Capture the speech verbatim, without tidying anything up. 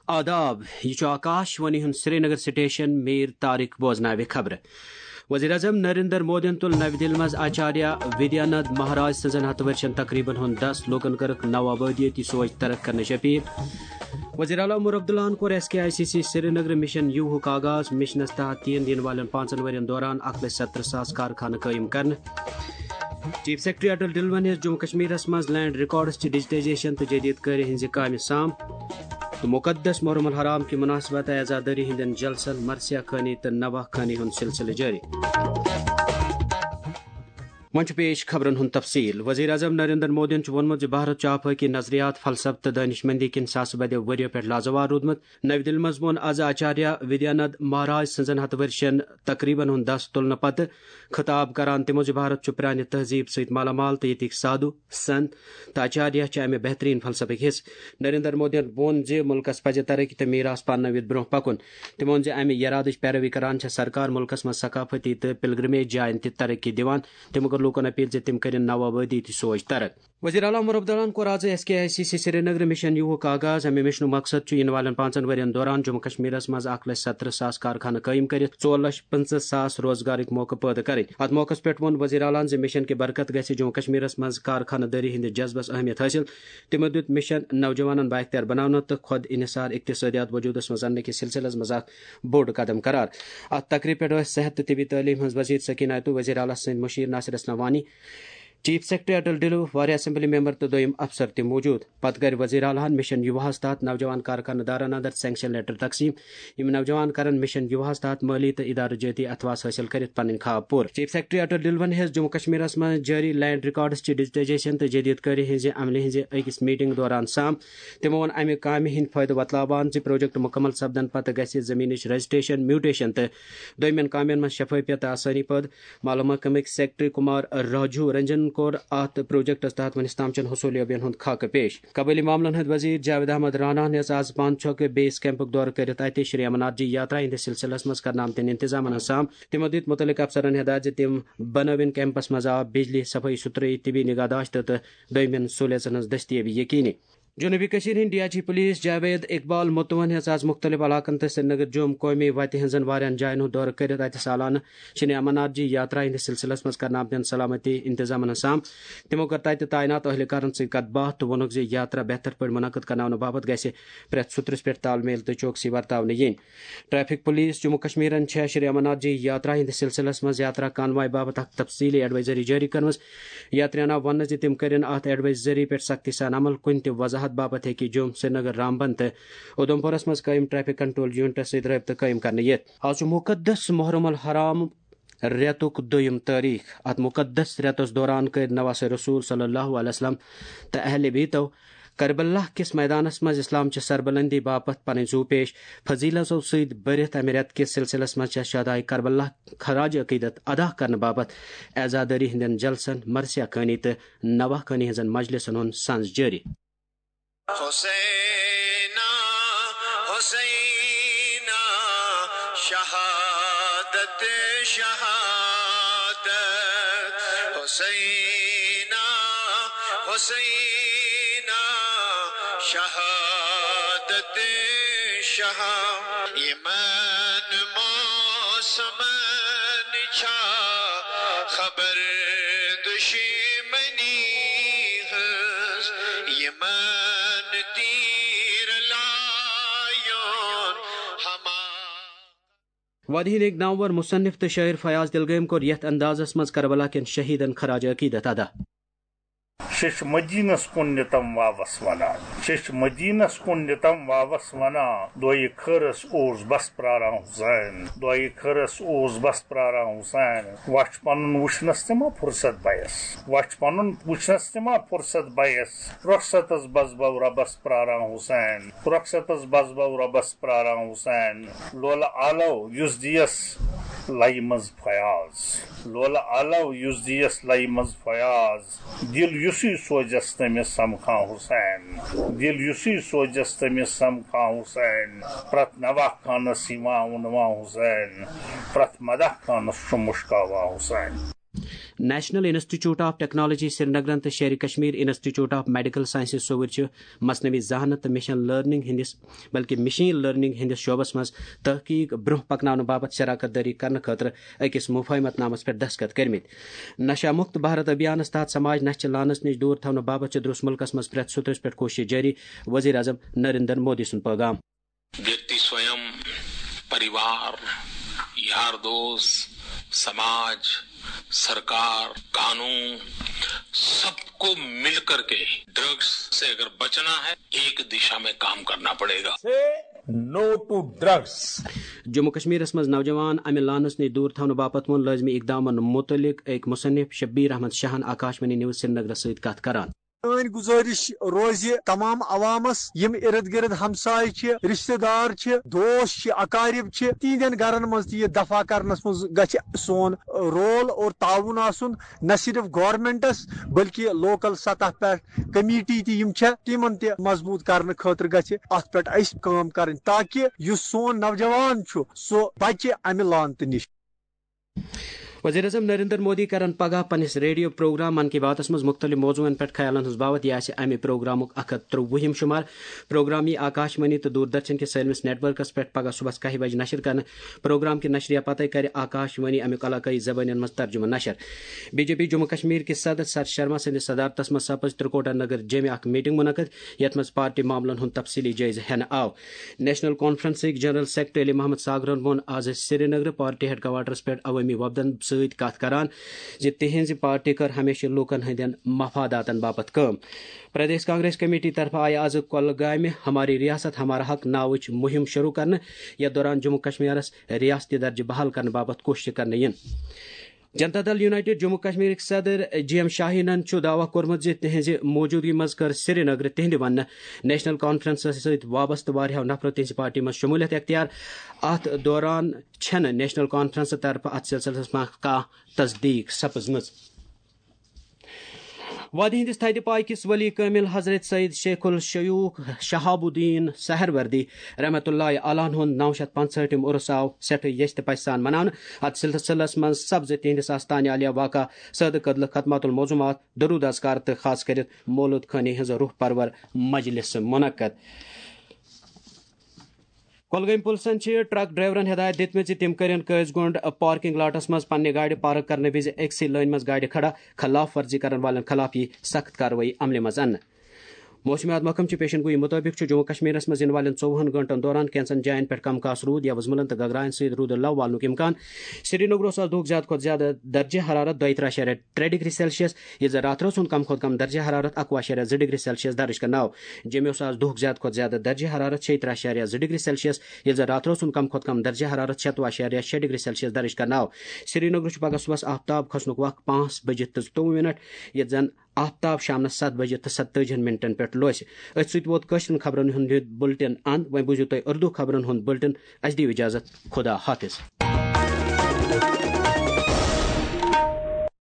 آداب، یہِ چھُ آکاش وانی ہُنٛد سرینگر سٹیشن۔ میر طارق بوزناوِ خبرٕ۔ وزیر اعظم نریندر مودیَن تُل نَوِ دِلہِ منٛز آچاریہ ودیانند مہاراج سٕنٛزن ہتہٕ ؤرشن تقریبن ہُنٛد دَس، لوٗکن کٔرٕکھ نوآبادیٲتی سوچ ترک کرنٕچ اپیل۔ وزیر اعلیٰ عمر عبداللہَن کوٚر S K I C C Srinagar mission یوٗہُک آغاز۔ مشنَس تحت یِن یِنہٕ والٮ۪ن پانٛژن ؤرین دوران اکھ لچھ ستترہ ساس کارخانہٕ قٲیِم کرنہٕ۔ چیف سیکرٹری اٹل ڈلون ہیٚژ جموں کشمیرس منٛز لینڈ ریکارڈز چہِ ڈیجیٹائزیشن تہٕ جدید کٲرِ ہٕنٛزِ کامہِ سام تہٕ مقدس محرم الحرام کہِ مناسبت عزادٲری ہٕنٛدٮ۪ن جلسن، مرثیہ خوانی تہٕ نواہ خوانی ہُنٛد سلسلہٕ جٲری۔ وۄنۍ چھُ پیش خبرن ہُنٛد تفصیل۔ وزیر اعظم نریندر مودیَن چھُ ووٚنمُت زِ بھارت چھُ آفٲقی نظریات، فلسفہٕ تہٕ دانش مندی کِنۍ ساسہٕ بٔدیو ؤرِیو پٮ۪ٹھ لازوال روٗدمُت۔ نَوِ دِلہِ منٛز ووٚن آز آچاریہ ودیانند مہاراج سٕنٛزن ہتہٕ ؤرشن تقریبن ہُنٛد دَس تُلنہٕ پتہٕ خطاب کران تِمو زِ بھارت چھُ پرٛانہِ تہذیٖب سۭتۍ مالا مال تہٕ ییٚتِکۍ سادھو، سنت تہٕ آچاریہ چھِ امہِ بہترین فلسفٕکۍ حصہٕ۔ نریندر مودیَن ووٚن زِ مُلکَس پَزِ ترقی تہٕ میراث پاننٲوِتھ برٛونٛہہ پَکُن۔ تٔمۍ ووٚن زِ امہِ یرادٕچ پیروی کران چھےٚ سرکار مُلکَس منٛز ثقافتی تہٕ پلگرمیج جاین تہِ ترقی دِوان۔ تٔمۍ کٔر لوٗکَن اپیل زِ تِم کٔرِن نوآبادیٲتی سوچ ترک۔ وزیر اعلیٰ عمر عبداللہَن کوٚر آز S K I C C Srinagar mission یوٗہُک آغاز۔ امہِ مشنُک مقصد چھُ یِنہٕ والٮ۪ن پانٛژن ؤرین دوران جموں کشمیرس منٛز اکھ لچھ ستترہ ساس کارخانہٕ قٲیِم کٔرِتھ ژور لچھ پٕنٛژٕہ ساس روزگارٕکۍ موقعہٕ پٲدٕ کرٕنۍ۔ اتھ موقعس پٮ۪ٹھ ووٚن وزیر اعلیٰ ہَن زِ مشن کہِ برکت گژھِ جموں کشمیرس منٛز کارخانہٕ دٲری ہٕنٛدِس جذبس اہمیت حٲصِل۔ تِمو دیُت مشن نوجوانن بااختیار بناونہٕ تہٕ خود انحصار اقتصٲدیات وجودس منٛز اننہٕ کِس سلسلس منٛز اکھ بوٚڑ قدم قرار۔ اتھ تقریبہِ پٮ۪ٹھ ٲسۍ صحت تہٕ طبی تعلیٖم ہٕنٛز وزیر سکینہ آیتو، وزیر اعلیٰ سٕنٛدۍ مُشیر ناصر اسلم وانی، چیف سیکرٹری اٹل ڈلو، واریاہ اسمبلی ممبر تہٕ دوٚیِم افسر تہِ موجود۔ پتہٕ کرِ وزیر اعلیٰ ہَن مشن یوٗہَس تحت نوجوان کارکنہٕ دارن اندر سینکشن لیٹر تقسیٖم۔ یِم نوجوان کرن مشن یوٗہَس تحت مٲلی تہٕ ادارٕ جٲتی اعتواس حٲصِل کٔرِتھ پنٕنۍ خواب پوٗرٕ۔ چیف سیکرٹری اٹل ڈلون ہیٚژ جموں کشمیرس منٛز جٲری لینڈ ریکارڈز چہِ ڈیجیٹائزیشن تہٕ جدید کٲری ہٕنٛزِ عملہِ ہٕنٛزِ أکِس میٹنگ دوران سام۔ تِمو ووٚن امہِ کامہِ ہٕنٛدۍ فٲیدٕ وۄتلاوان زِ پروجیکٹ مُکمل سپدن پتہٕ گژھِ زٔمیٖنٕچ رجسٹریشن، میوٹیشن تہٕ دوٚیمٮ۪ن کامٮ۪ن منٛز شفٲفیت تہٕ آسٲنی پٲدٕ۔ محکمٕکۍ سیکرٹری کمار راجو رنجنَن کوٚر اتھ پروجیکٹس تحت وُنیُس تام چٮ۪ن حصوٗلیابین ہُنٛد خاکہٕ پیش۔ قبٲئلی معاملن ہٕنٛدۍ وزیر جاوید احمد راناہَن ہیٚژ آز پانہٕ چھۄکہٕ بیس کیمپُک دورٕ کٔرِتھ اتہِ شری امرناتھ جی یاترا ہٕنٛدِس سلسلس منٛز کرنہٕ آمتٮ۪ن انتظامن ہُنٛد سام۔ تِمو دِتۍ مُتعلقہٕ افسرن ہدایت زِ تِم بنٲوِن کیمپس منٛز آب، بجلی، صفٲیی ستھرٲیی، طبی نگہداشت تہٕ، تہٕ دوٚیمٮ۪ن سہوٗلیژن ہٕنٛز دٔستیٲبی یقینی۔ جنوبی کشمیر ہٕنٛدۍ D I G police Javed Iqbal متوہَن ہیٚژ آز مختلف علاقن تہٕ سرینگر جوم قومی وتہِ ہٕنٛزن واریاہن جاین ہُنٛد دورٕ کٔرِتھ اتہِ سالانہٕ شری امرناتھ جی یاترا ہٕنٛدِس سلسلس منٛز کرنہٕ آمتٮ۪ن سلامتی انتظامن ہُنٛد سام۔ تِمو کٔر تتہِ تعینات اہلکارن سۭتۍ کتھ باتھ تہٕ ووٚنُکھ زِ یاترا بہتر پٲٹھۍ منعقد کرناونہٕ باپتھ گژھِ پرٛٮ۪تھ سوٚترس پٮ۪ٹھ تال میل تہٕ چوکسی ورتاونہٕ یِنۍ۔ ٹریفک پولیس جموں کشمیرن چھےٚ شری امرناتھ جی یاترا ہٕنٛدِس سلسلس منٛز یاترا کانوائے باپتھ اکھ تفصیلی ایڈوائزری جٲری کٔرمٕژ۔ یاتریاہَن آو وننہٕ زِ تِم کٔرِن اتھ ایڈوائزری پٮ۪ٹھ سختی سان عمل۔ کُنہِ تہِ وضاحت باپتھ ہیٚکہِ جوم، سرینگر، رامبن تہٕ اُدھمپورس منٛز قٲیِم ٹریفک کنٹرول یونٹس سۭتۍ رٲبطہٕ قٲیِم کرنہٕ یِتھ۔ آز چھُ مقدس محرم الحرام رٮ۪تُک دوٚیِم تٲریخ۔ اتھ مقدس رٮ۪تس دوران کٔرۍ نواسہِ رسول صلی اللہ علیہ وسلم تہٕ اہل بیتو کربلا کِس میدانس منٛز اسلام چہِ سربلندی باپتھ پنٕنۍ زُو پیش۔ فضیلتو سۭتۍ بٔرِتھ امہِ رٮ۪تہٕ کِس سلسلس منٛز چھےٚ شہدائے کربلا خراج عقیدت ادا کرنہٕ باپتھ عزادٲری ہٕنٛدٮ۪ن جلسن، مرثیہ خوانی تہٕ نواہ خوانی ہٕنٛزن مجلسن ہُنٛد سنز جٲری۔ حسینا، حسینا، شہادت، شہادت، حسینا، حسینا، شہادت، شہادت۔ یمن موسمن چھا خبر دشمنی ہنز، یمن تیر لایون ہما۔ وادی ہٕنٛدۍ نامور مصنف تہٕ شٲعر فیاض دلگٲمۍ کوٚر یتھ اندازس منٛز کربلا کٮ۪ن شہیدن خراج عقیدت ادا۔ شیٚچھ مدینس کُن نِتم واوس ونان۔ شیٚچھ مدینس کُن نِتم واوس ونان۔ دۄیہِ خٲرس اوس بس پراران حسین۔ دۄیہِ خٲرس اوس بس پراران حسین۔ وچھ پنُن وٕچھنس تہِ ما فرصت بَیَس۔ وچھ پنُن وٕچھنس تہِ ما فرصت بَیَس۔ رۄخصتس بس بو رۄبس پراران حسین۔ رۄخصتس بس بو رۄبس پراران حسین۔ لولہٕ آلو یُس دیس لَیہِ منٛز فیاض۔ لولہٕ آلو یُس دیس لَیہِ منٛز فیاض۔ دِل یُسُے سوزٮ۪س تٔمِس سمکھان حسین۔ دِل یُسُے سوزٮ۪س تٔمِس سمکھان حسین۔ پرٛٮ۪تھ نواہ خانس یِوان وُنوان حسین۔ پرٛٮ۪تھ مداح خانس چھُ مُشکاوان حسین۔ نیشنل انسٹیٹیوٹ آف ٹیکنالوجی سرینگرن تہٕ Sheri Kashmir institute of medical sciences سوٚوُرۍ چھِ مصنوعی ذہانت تہٕ مشین لرننگ ہٕنٛدِس، بلکہِ مشین لرننگ ہٕنٛدِس شعبس منٛز تحقیق برونٛہہ پکناونہٕ باپتھ شراکت دٲری کرنہٕ خٲطرٕ أکِس مفاہمت نامس پٮ۪ٹھ دستخط کٔرمٕتۍ۔ نشہ مکت بھارت ابھیانس تحت سماج نشہٕ چہِ لعنتس نِش دوٗر تھاونہٕ باپتھ چھِ درس ملکس منٛز پرٛٮ۪تھ سطرس پٮ۪ٹھ کوٗشش جٲری، وزیر اعظم نریندر مودی سُنٛد پیغام۔ व्यक्ति स्वयं, परिवार, यार दोस्त, समाज, सरकार, कानून, सबको मिलकर के ड्रग्स से अगर बचना है, एक दिशा में काम करना पड़ेगा। No to drugs. جموں کشمیرس منٛز نوجوان امہِ لعنتس نِش دوٗر تھاونہٕ باپتھ ووٚن لٲزمی اقدامن مُتعلق أکۍ مصنف شبیر احمد شاہن آکاش وانی نیوز سرینگرس سۭتۍ کتھ کران۔ سٲنۍ گُزٲرِش روزِ تمام عوامس، یِم ارد گرد ہمساے چھِ، رشتہٕ دار چھِ، دوس چھِ، اقارب چھِ، تِہنٛدٮ۪ن گرن منٛز تہِ یہِ دفع کرنس منٛز گژھِ سون رول اور تعاون آسُن، نہ صرف گورنمنٹس بلکہ لوکل سطح پٮ۪ٹھ کمیٹی تہِ یِم چھےٚ، تِمن تہِ مضبوٗط کرنہٕ خٲطرٕ گژھِ اتھ پٮ۪ٹھ اسہِ کٲم کرٕنۍ، تاکہ یُس سون نوجوان چھُ سُہ بچہِ امہِ لعنتہٕ نِش۔ وزیر اعظم نریندر مودی کرن پگاہ پننِس ریڈیو پروگرام من کی باتس منٛز مُختٔلِف موضوعن پٮ۪ٹھ خیالن ہٕنٛز باوت۔ یہِ آسہِ امہِ پروگرامُک اکھ ہتھ ترٛۆوُہِم شمار۔ پروگرام یی آکاش وانی تہٕ دوردرشن کِس سٲلمس نیٹ ورکس پٮ۪ٹھ پگاہ صبحس کاہہِ بجہِ نشر کرنہٕ۔ پروگرام کہِ نشرِیہ پتے کرِ آکاش وانی امیُک علاقٲیی زبٲنٮ۪ن منٛز ترجمہٕ نشر۔ B J P Jammu Kashmir کِس صدر ستھ شرما سٕنٛدِس صدارتس منٛز سپٕز ترکوٹا نگر جیمہِ اکھ میٹنگ منعقد، یتھ منٛز پارٹی معاملن ہُنٛد تفصیلی جٲیزٕ ہٮ۪نہٕ آو۔ نیشنل کانفرنسٕکۍ جنرل سیکرٹری علی محمد ساگرن ووٚن آز سرینگرٕ پارٹی ہیڈ کوارٹرس پٮ۪ٹھ عوٲمی وفدن سۭتۍ کتھ کران زِ تِہنٛزِ پارٹی کٔر ہمیشہٕ لوٗکن ہٕنٛدٮ۪ن مفاداتن باپتھ کٲم۔ پردیش کانگریس کمیٹی طرفہٕ آیہِ آز کۄلگامہِ ہماری ریاست ہمارا حق ناوٕچ مُہِم شروٗع کرنہٕ، یتھ دوران جموں کشمیرس ریاستی درجہٕ بحال کرنہٕ باپتھ کوٗششہٕ کرنہٕ یِن۔ جنتا دل یونائیٹڈ جموں کشمیرٕکۍ صدر جی ایم شاہینن چھُ دعویٰ کوٚرمُت زِ تِہنٛزِ موجودگی منٛز کٔر سرینگرٕ تِہنٛدِ وننہٕ نیشنل کانفرنسس سۭتۍ وابستہٕ واریاہو نفرو تِہنٛزِ پارٹی منٛز شمولیت اختیار۔ اتھ دوران چھنہٕ نیشنل کانفرنس طرفہٕ اتھ سلسلس منٛز کانٛہہ تصدیق سپٕزمٕژ۔ وادی ہٕنٛدِس تھدِ پایہِ کِس ولی کٲمِل حضرت سید شیخ الشیوخ شہاب الدین سہروردی رحمتہ اللہ علیہ ہُنٛد نو شیٚتھ پانٛژہٲٹھِم عرس آو سٮ۪ٹھٕے یژھِ تہٕ پژھِ سان مناونہٕ۔ اتھ سلسلس منٛز سپزٕ تِہنٛدِس آستانہِ عالیہ واقع سٲدٕ کدلہٕ ختمات الموضوعات، درود اذکار تہٕ خاص کٔرِتھ مولود خٲنی ہٕنٛز روح پرور مجلس منعقد۔ کۄلگٲمۍ پُلسَن چھِ ٹرک ڈرائیورَن ہدایت دِژمٕژ زِ تِم کٔرِن قٲضۍ گونڈ پارکنگ لاٹَس منٛز پننہِ گاڑِ پارک کرنہٕ وِزِ أکسٕے لٲنہِ منٛز گاڑِ کھڑا، خلاف ورزی کرن والٮ۪ن خلاف یِیہِ سخت کاروٲیی عملہِ منٛز اننہٕ۔ موسمیات محکمہٕ چہِ پیشن گویی مُطٲبِق چھُ جموں کشمیرَس منٛز یِنہٕ والٮ۪ن ژوٚوُہن گٲنٛٹَن دوران کینٛژن جاین پٮ۪ٹھ کم کاس روٗد یا وُزملن تہٕ گگراین سۭتۍ روٗدٕ لو والنُک امکان۔ سرینگرٕ اوس آز دُہُک زیادٕ کھۄتہٕ زیادٕ درجہ حرارت دۄیہِ ترٛہ اعشاریہ ترٛےٚ ڈگری سیلسیس، ییٚلہِ زن راتھ رٲژ ہُنٛد کم کھۄتہٕ کم درجہ حرارت اکوُہ اعشاریہ زٕ ڈگری سیلسیس درج کرنہٕ آو۔ جیٚمہِ اوس آز دُہُک زیادٕ کھۄتہٕ زیادٕ درجہ حرارت شیٚیہِ ترٛہ اعشاریہ زٕ ڈگری سیلسیس، ییٚلہِ زن راتھ رٲژ ہُنٛد کم کھۄتہٕ کم درجہ حرارت شیٚتوُہ اعشاریہ شیٚیہِ ڈگری سیلسیس درج کرنہٕ آو۔ سرینگرٕ چھُ پگہہ صبحس آفتاب کھسنُک وق پانٛژھ بجہِ تہٕ زٕتووُہ منٹ، ییٚتہِ زن آفتاب شامنس ستھ بجہِ تہٕ ستتٲجی ہن منٹن پٮ۪ٹھ لوسہِ۔ أتھۍ سۭتۍ ووت کٲشرٮ۪ن خبرن ہُنٛد یہِ بُلٹن اند۔ وۄنۍ بوٗزِو تُہۍ اردو خبرن ہُنٛد بُلٹن۔ اسہِ دِیِو اجازت۔ خدا حافظ۔